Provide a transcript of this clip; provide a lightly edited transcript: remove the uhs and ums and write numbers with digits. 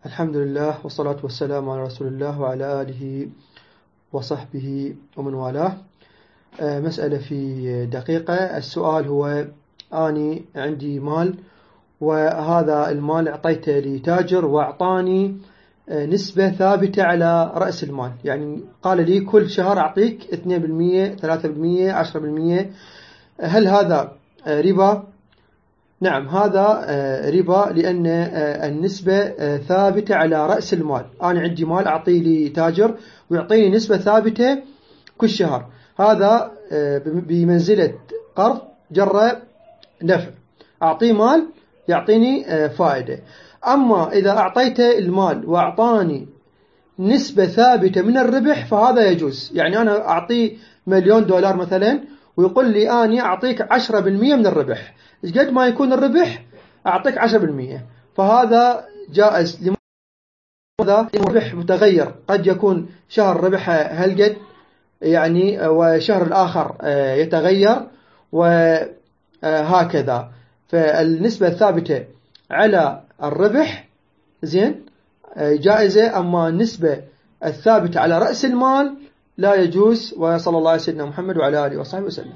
الحمد لله والصلاة والسلام على رسول الله وعلى آله وصحبه ومن والاه. مسألة في دقيقة. السؤال هو: أني عندي مال، وهذا المال أعطيته لتاجر وأعطاني نسبة ثابتة على رأس المال، يعني قال لي كل شهر أعطيك 2%، 3%، 10%. هل هذا ربا؟ نعم، هذا ربا، لأن النسبة ثابتة على رأس المال. أنا عندي مال أعطيه لتاجر ويعطيني نسبة ثابتة كل شهر، هذا بمنزلة قرض جر نفع، أعطيه مال يعطيني فائدة. أما إذا أعطيته المال وأعطاني نسبة ثابتة من الربح فهذا يجوز. يعني أنا أعطيه $1,000,000 مثلا ويقول لي أني أعطيك 10% من الربح، قد ما يكون الربح أعطيك 10%، فهذا جائز. لماذا؟ الربح متغير، قد يكون شهر ربحه هالقد يعني، وشهر الآخر يتغير وهكذا. فالنسبة الثابتة على الربح زين جائزة، أما النسبة الثابتة على رأس المال لا يجوز. وصلى الله على سيدنا محمد وعلى آله وصحبه وسلم.